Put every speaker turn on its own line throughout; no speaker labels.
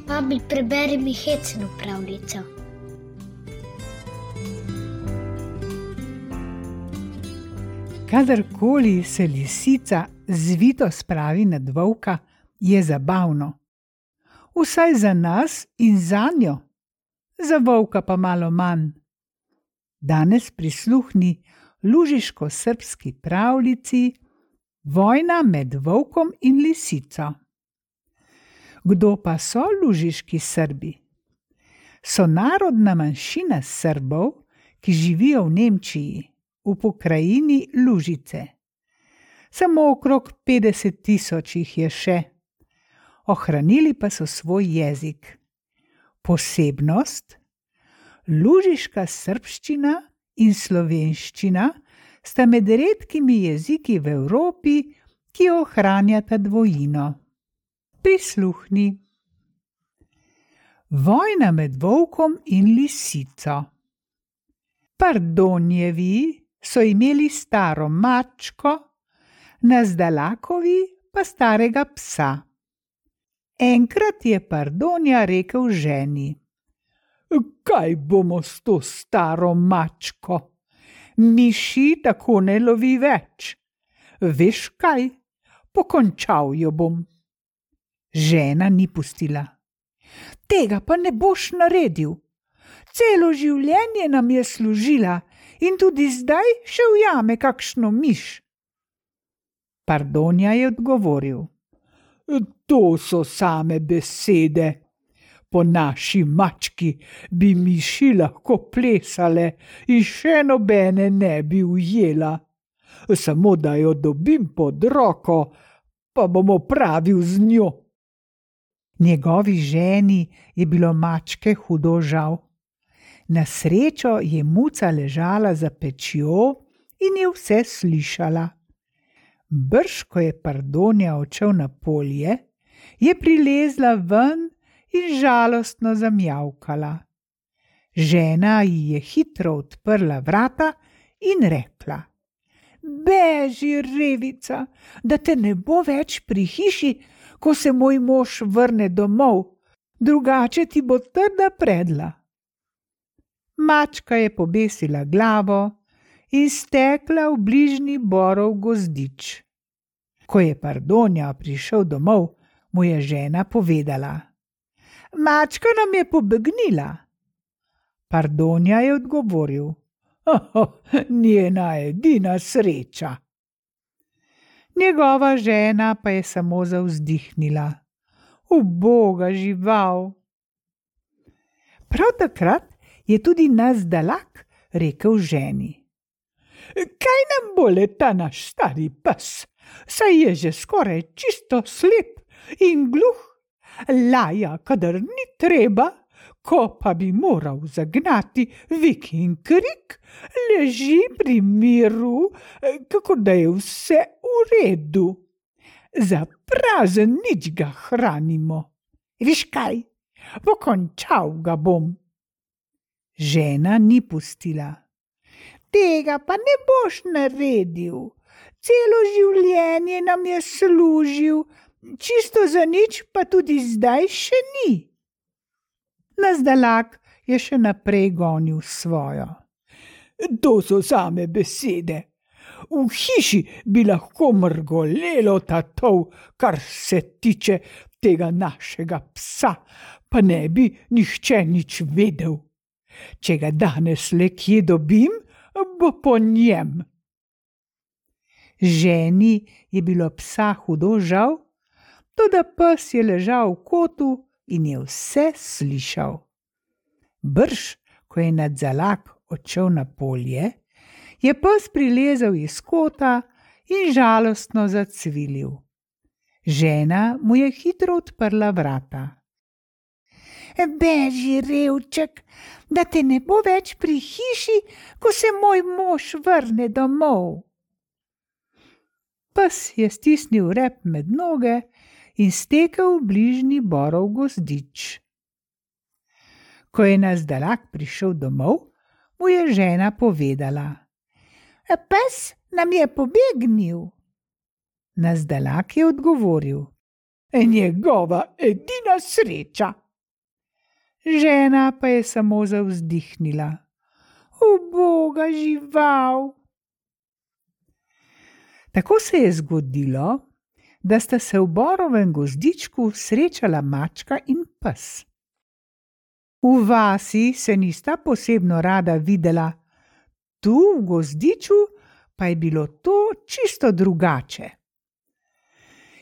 Babi, preberi mi hecno pravljico.
Kadarkoli se lisica zvito spravi nad volka, je zabavno. Vsaj za nas in zanjo, za volka pa malo manj. Danes prisluhni lužiško-srbski pravljici Vojna med volkom in lisico. Kdo pa so lužiški Srbi? So narodna manjšina Srbov, ki živijo v Nemčiji, v pokrajini Lužice. Samo okrog 50.000 jih je še. Ohranili pa so svoj jezik. Posebnost? Lužiška srbščina in slovenščina sta med redkimi jeziki v Evropi, ki ohranjata dvojino. Prisluhni. Vojna med volkom in lisico. Pardonjevi so imeli staro mačko, Nazdalakovi pa starega psa. Enkrat je Pardonja rekel ženi: Kaj bomo s to staro mačko? Miši tako ne lovi več. Veš kaj? Pokončal jo bom. Žena ni pustila. Tega pa ne boš naredil. Celo življenje nam je služila in tudi zdaj še ujame kakšno miš. Pardonja je odgovoril: To so same besede. Po naši mački bi miši lahko plesale in še nobene ne bi ujela. Samo da jo dobim pod roko, pa bom opravil z njo. Njegovi ženi je bilo mačke hudo žal. Na srečo je muca ležala za pečjo in je vse slišala. Brž, ko je Pardonja odšel na polje, je prilezla ven in žalostno zamjavkala. Žena ji je hitro odprla vrata in rekla: Beži, revica, da te ne bo več pri hiši, ko se moj mož vrne domov, drugače ti bo trda predla. Mačka je pobesila glavo in stekla v bližnji borov gozdič. Ko je Pardonja prišel domov, mu je žena povedala: Mačka nam je pobegnila. Pardonja je odgovoril: Njena edina sreča. Njegova žena pa je samo zavzdihnila: Uboga žival. Prav takrat je tudi Nazdalak rekel ženi: Kaj nam bo le ta naš stari pes, saj je že skoraj čisto slep in gluh. Laja, kadar ni treba, ko pa bi moral zagnati vik in krik, leži pri miru, kako da je vse v redu. Za prazen nič ga hranimo. Viš kaj, pokončal ga bom. Žena ni pustila. Tega pa ne boš naredil. Celo življenje nam je služil, čisto za nič pa tudi zdaj še ni. Nazdalak je še naprej gonil svojo. To so same besede. V hiši bi lahko mrgolelo tatov, kar se tiče tega našega psa, pa ne bi nihče nič vedel. Če ga danes le kje dobim, bo po njem. Ženi je bilo psa hudo žal, toda pes je ležal v kotu in je vse slišal. Brž, ko je Nazdalak odšel na polje, je pes prilezel iz kota in žalostno zacvilil. Žena mu je hitro odprla vrata. Beži, revček, da te ne bo več pri hiši, ko se moj mož vrne domov. Pes je stisnil rep med noge in stekel v bližnji borov gozdič. Ko je Nazdalak prišel domov, mu je žena povedala: Pes nam je pobegnil. Nazdalak je odgovoril: Njegova edina sreča. Žena pa je samo zavzdihnila. Uboga žival! Tako se je zgodilo, da sta se v borovem gozdičku srečala mačka in pes. V vasi se nista posebno rada videla, tu v gozdiču pa je bilo to čisto drugače.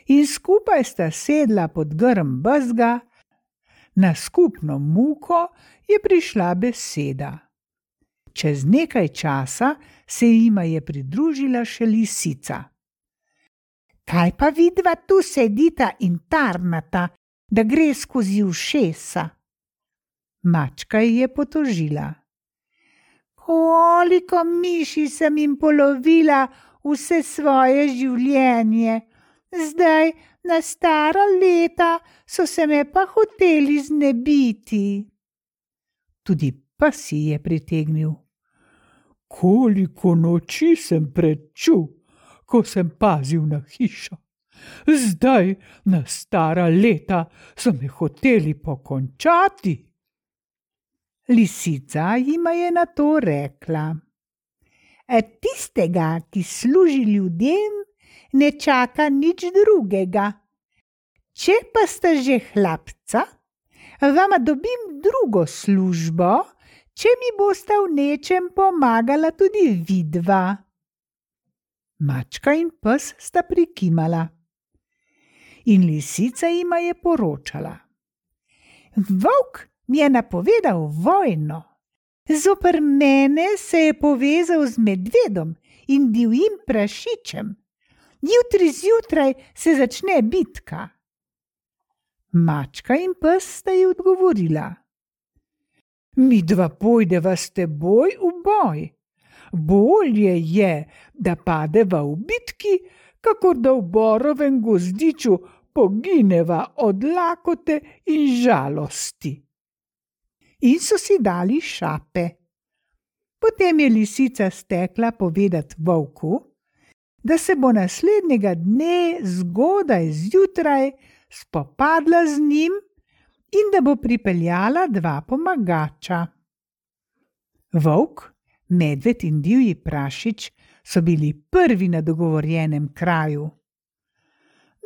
In skupaj sta sedla pod grm bezga, na skupno muko je prišla beseda. Čez nekaj časa se jima je pridružila še lisica. Kaj pa vidva tu sedita in tarnata, da gre skozi ušesa? Mačka ji je potožila. Koliko miši sem jim polovila vse svoje življenje, zdaj na stara leta so se me pa hoteli znebiti. Tudi pes ji je pritegnil. Koliko noči sem prečul, ko sem pazil na hišo. Zdaj na stara leta so me hoteli pokončati. Lisica jima je na to rekla. Tistega, ki služi ljudem, ne čaka nič drugega. Če pa sta že hlapca, vama dobim drugo službo, če mi bosta v nečem pomagala tudi vidva. Mačka in pes sta prikimala. In lisica jima je poročala. Volk mi je napovedal vojno. Zoper mene se je povezal z medvedom in divjim prašičem. Jutri zjutraj se začne bitka. Mačka in pes sta ji odgovorila. Midva pojdeva s teboj v boj. Bolje je, da padeva v bitki, kakor da v borovem gozdiču pogineva od lakote in žalosti. In so si dali šape. Potem je lisica stekla povedat volku, da se bo naslednjega dne zgodaj zjutraj spopadla z njim in da bo pripeljala dva pomagača. Volk, medved in divji prašič so bili prvi na dogovorjenem kraju.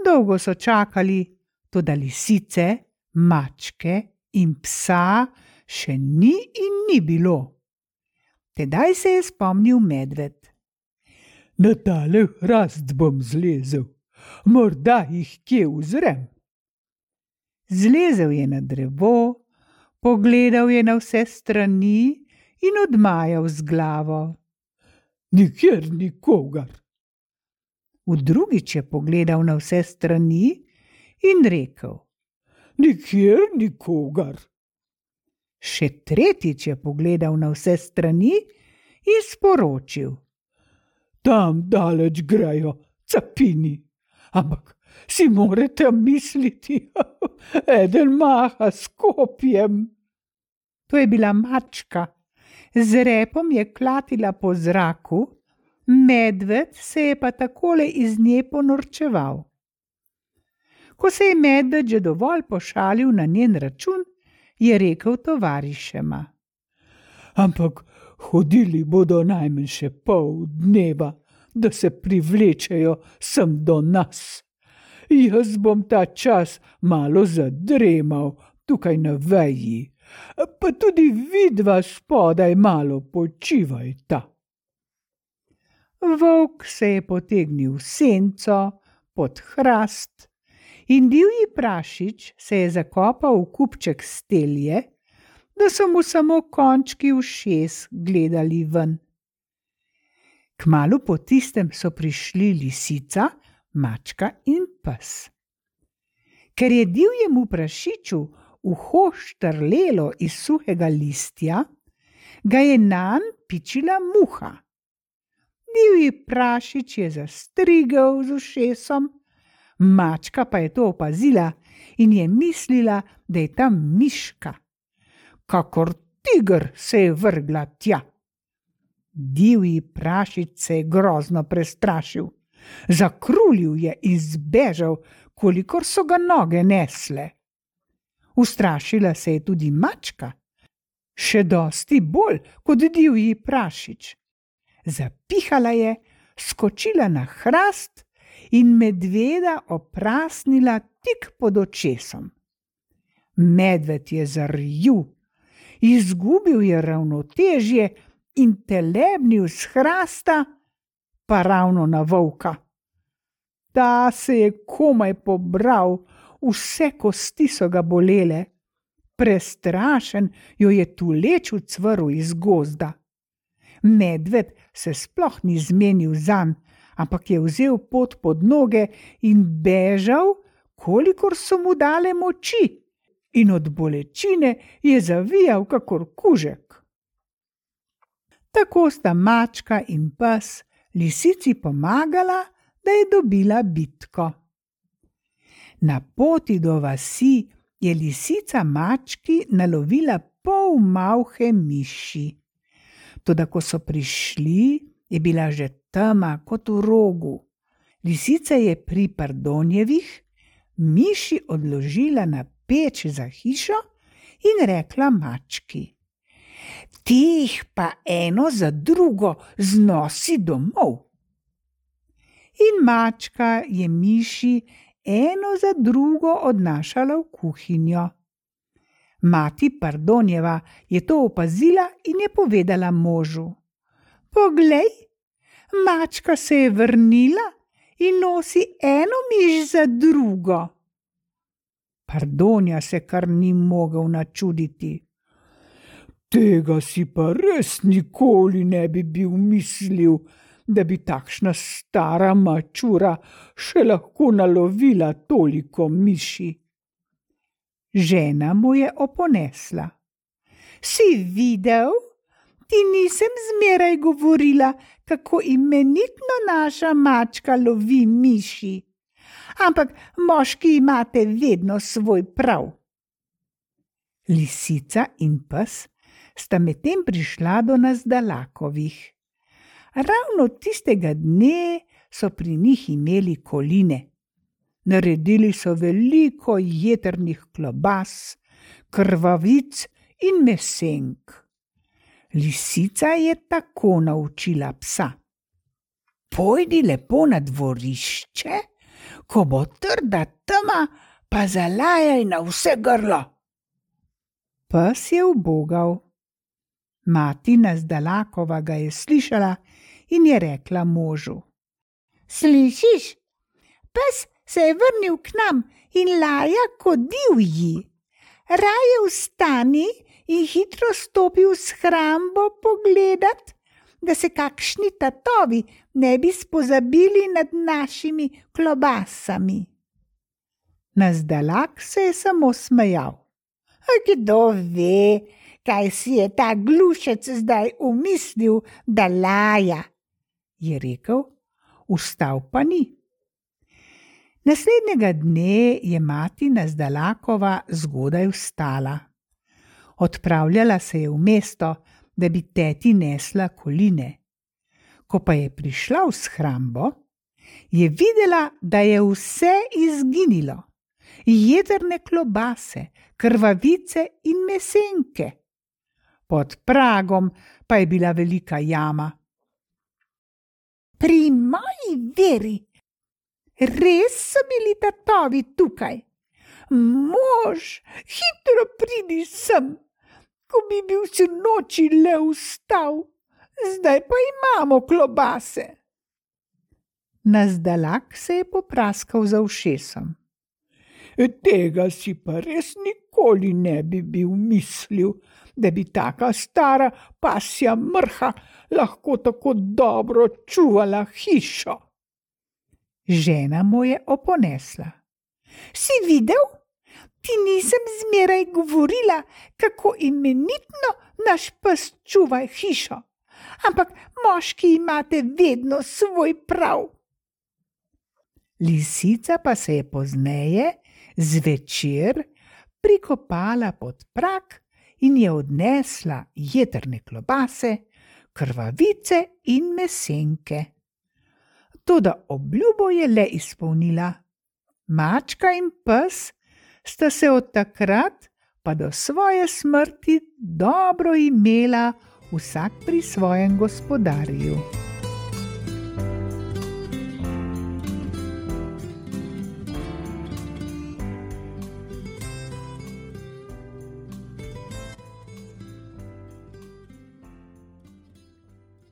Dolgo so čakali, toda lisice, mačke in psa še ni in ni bilo. Tedaj se je spomnil medved. Na tale hrast bom zlezel, morda jih kje uzrem. Zlezel je na drevo, pogledal je na vse strani in odmajal z glavo. Nikjer nikogar. Drugič je pogledal na vse strani in rekel. Nikjer nikogar. Še tretjič je pogledal na vse strani in sporočil. Tam daleč grejo capini, ampak si morate misliti, eden maha s kopjem. To je bila mačka. Z repom je klatila po zraku, medved se je pa takole iz nje ponorčeval. Ko se je medved že dovolj pošalil na njen račun, je rekel tovarišema. Ampak hodili bodo najmanj še pol dneva, da se privlečejo sem do nas. Jaz bom ta čas malo zadremal tukaj na veji, pa tudi vidva spodaj malo počivajta. Volk se je potegnil v senco pod hrast in divji prašič se je zakopal v kupček stelje, da so mu samo končki ušes gledali ven. Kmalu po tistem so prišli lisica, mačka in pes. Ker je divjemu prašiču uho štrlelo iz suhega listja, ga je nanj pičila muha. Divji prašič je zastrigel z ušesom, mačka pa je to opazila in je mislila, da je tam miška. Kakor tiger se je vrgla tja. Divji prašič se je grozno prestrašil. Zakrulil je in zbežal, kolikor so ga noge nesle. Ustrašila se je tudi mačka, še dosti bolj kot divji prašič. Zapihala je, skočila na hrast in medveda oprasnila tik pod očesom. Medved je zarjul, izgubil je ravnotežje in telebnil s hrasta, pa ravno na volka. Ta se je komaj pobral, vse kosti so ga bolele. Prestrašen jo je tuleč ucvrl iz gozda. Medved se sploh ni zmenil zanj, ampak je vzel pot pod noge in bežal, kolikor so mu dale moči, in od bolečine je zavijal kakor kužek. Tako sta mačka in pes lisici pomagala, da je dobila bitko. Na poti do vasi je lisica mački nalovila pol malhe miši. Toda ko so prišli, je bila že tema kot v rogu. Lisica je pri Pardonjevih miši odložila na peč za hišo in rekla mački: "Teh pa eno za drugo znosi domov." In mačka je miši eno za drugo odnašala v kuhinjo. Mati Pardonjeva je to opazila in je povedala možu: "Poglej, mačka se je vrnila in nosi eno miš za drugo." Pardonja se kar ni mogel načuditi. "Tega si pa res nikoli ne bi bil mislil, da bi takšna stara mačura še lahko nalovila toliko miši." Žena mu je oponesla: "Si videl? Ti nisem zmeraj govorila, kako imenitno naša mačka lovi miši. Ampak moški imate vedno svoj prav." Lisica in pes sta medtem prišla do Nazdalakovih. Ravno tistega dne so pri njih imeli koline. Naredili so veliko jetrnih klobas, krvavic in mesenk. Lisica je tako naučila psa: "Pojdi lepo na dvorišče, ko bo trda tema, pa zalajaj na vse grlo." Pes je ubogal. Mati Nazdalakova ga je slišala in je rekla možu: "Slišiš? Pes se je vrnil k nam in laja kot divji. Raje vstani in hitro stopi v shrambo pogledat, da se kakšni tatovi ne bi spozabili nad našimi klobasami." Nazdalak se je samo smejal. "Kdo ve, kaj si je ta glušec zdaj umislil, da laja," je rekel, vstal pa ni. Naslednjega dne je mati Nazdalakova zgodaj vstala. Odpravljala se je v mesto, da bi teti nesla koline. Ko pa je prišla v shrambo, je videla, da je vse izginilo. Jedrne klobase, krvavice in mesenke. Pod pragom pa je bila velika jama. "Pri moji veri, res so bili tatovi tukaj. Mož, hitro pridi sem, ko bi bil sinoči le vstal, zdaj pa imamo klobase." Nazdalak se je popraskal za ušesom. "Tega si pa res nikoli ne bi bil mislil, da bi taka stara pasja mrha lahko tako dobro čuvala hišo." Žena mu je oponesla: "Si videl? Ti nisem zmeraj govorila, kako imenitno naš pes čuva hišo, ampak moški imate vedno svoj prav." Lisica pa se je pozneje zvečer prikopala pod prag in je odnesla jedrne klobase, krvavice in mesenke. Toda obljubo je le izpolnila. Mačka in pes sta se od takrat pa do svoje smrti dobro imela vsak pri svojem gospodarju.